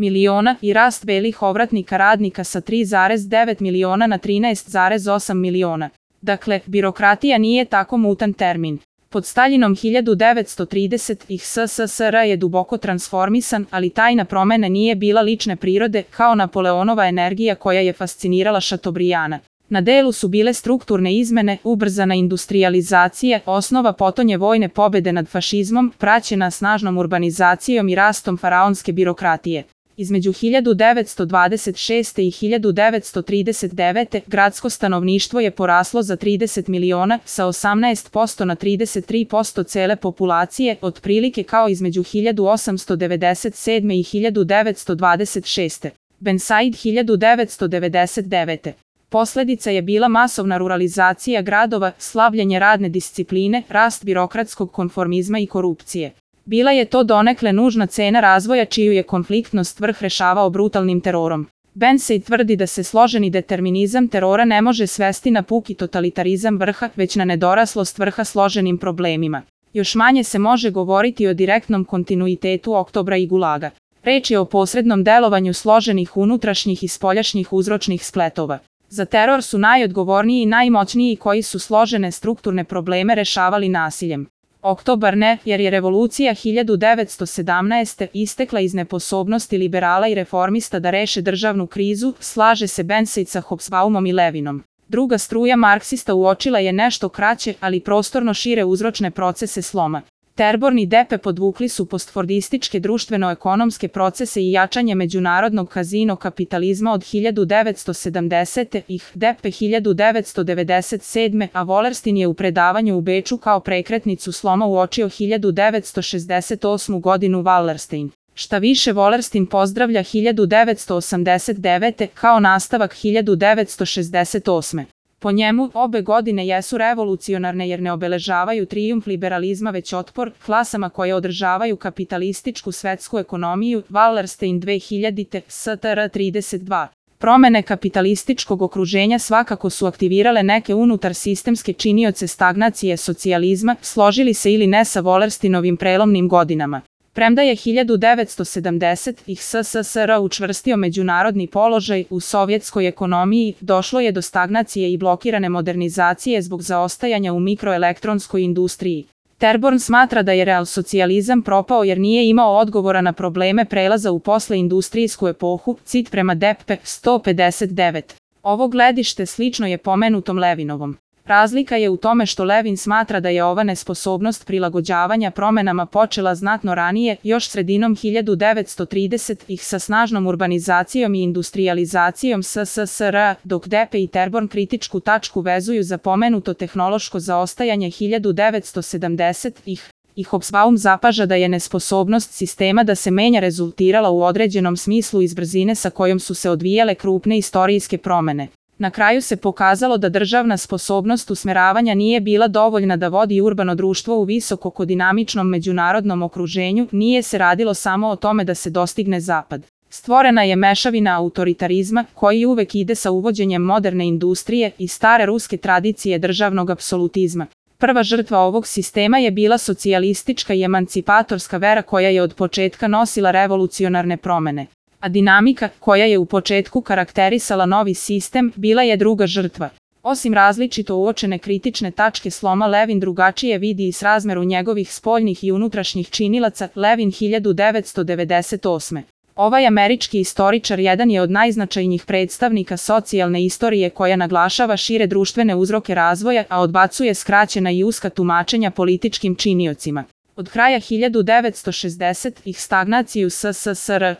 miliona i rast belih ovratnika radnika sa 3,9 miliona na 13,8 miliona. Dakle, birokratija nije tako mutan termin. Pod Staljinom 1930-ih SSSR je duboko transformisan, ali tajna promene nije bila lične prirode kao Napoleonova energija koja je fascinirala Šatobrijana. Na delu su bile strukturne izmene, ubrzana industrijalizacija, osnova potonje vojne pobede nad fašizmom, praćena snažnom urbanizacijom i rastom faraonske birokratije. Između 1926. i 1939. gradsko stanovništvo je poraslo za 30 miliona, sa 18% na 33% cele populacije, otprilike kao između 1897. i 1926. Ben Said 1999. Posledica je bila masovna ruralizacija gradova, slavljenje radne discipline, rast birokratskog konformizma i korupcije. Bila je to donekle nužna cena razvoja čiju je konfliktnost vrh rešavao brutalnim terorom. Ben Said tvrdi da se složeni determinizam terora ne može svesti na puki totalitarizam vrha, već na nedoraslost vrha složenim problemima. Još manje se može govoriti o direktnom kontinuitetu Oktobra i Gulaga. Reč je o posrednom delovanju složenih unutrašnjih i spoljašnjih uzročnih spletova. Za teror su najodgovorniji i najmoćniji koji su složene strukturne probleme rešavali nasiljem. Oktobar ne, jer je revolucija 1917. istekla iz nesposobnosti liberala i reformista da reše državnu krizu, slaže se Ben Said sa Hobsbaumom i Levinom. Druga struja marksista uočila je nešto kraće, ali prostorno šire uzročne procese sloma. Terborn i Depe podvukli su postfordističke društveno-ekonomske procese i jačanje međunarodnog kazino kapitalizma od 1970. ih Depe 1997. a Wallerstein je u predavanju u Beču kao prekretnicu sloma uočio 1968. godinu Wallerstein. Šta više, Wallerstein pozdravlja 1989. kao nastavak 1968. Po njemu, obe godine jesu revolucionarne jer ne obeležavaju trijumf liberalizma već otpor klasama koje održavaju kapitalističku svetsku ekonomiju. Wallerstein 2000. STR 32. Promene kapitalističkog okruženja svakako su aktivirale neke unutar sistemske činioce stagnacije socijalizma, složili se ili ne sa Wallersteinovim prelomnim godinama. Premda je 1970-ih SSSR učvrstio međunarodni položaj u sovjetskoj ekonomiji, došlo je do stagnacije i blokirane modernizacije zbog zaostajanja u mikroelektronskoj industriji. Terborn smatra da je realsocijalizam propao jer nije imao odgovora na probleme prelaza u posleindustrijsku epohu, cit prema Depe 159. Ovo gledište slično je pomenutom Levinovom. Razlika je u tome što Levin smatra da je ova nesposobnost prilagođavanja promenama počela znatno ranije, još sredinom 1930-ih sa snažnom urbanizacijom i industrijalizacijom SSSR, dok Depe i Terborn kritičku tačku vezuju za pomenuto tehnološko zaostajanje 1970-ih. I Hobsbaum zapaža da je nesposobnost sistema da se menja rezultirala u određenom smislu iz brzine sa kojom su se odvijale krupne istorijske promene. Na kraju se pokazalo da državna sposobnost usmeravanja nije bila dovoljna da vodi urbano društvo u visokodinamičnom međunarodnom okruženju, nije se radilo samo o tome da se dostigne zapad. Stvorena je mešavina autoritarizma, koji uvek ide sa uvođenjem moderne industrije i stare ruske tradicije državnog apsolutizma. Prva žrtva ovog sistema je bila socijalistička i emancipatorska vera koja je od početka nosila revolucionarne promene. A dinamika, koja je u početku karakterisala novi sistem, bila je druga žrtva. Osim različito uočene kritične tačke sloma, Levin drugačije vidi i srazmeru njegovih spoljnih i unutrašnjih činilaca. Levin 1998. Ovaj američki istoričar jedan je od najznačajnijih predstavnika socijalne istorije koja naglašava šire društvene uzroke razvoja, a odbacuje skraćena i uska tumačenja političkim činiocima. Od kraja 1960-ih stagnaciju SSSR,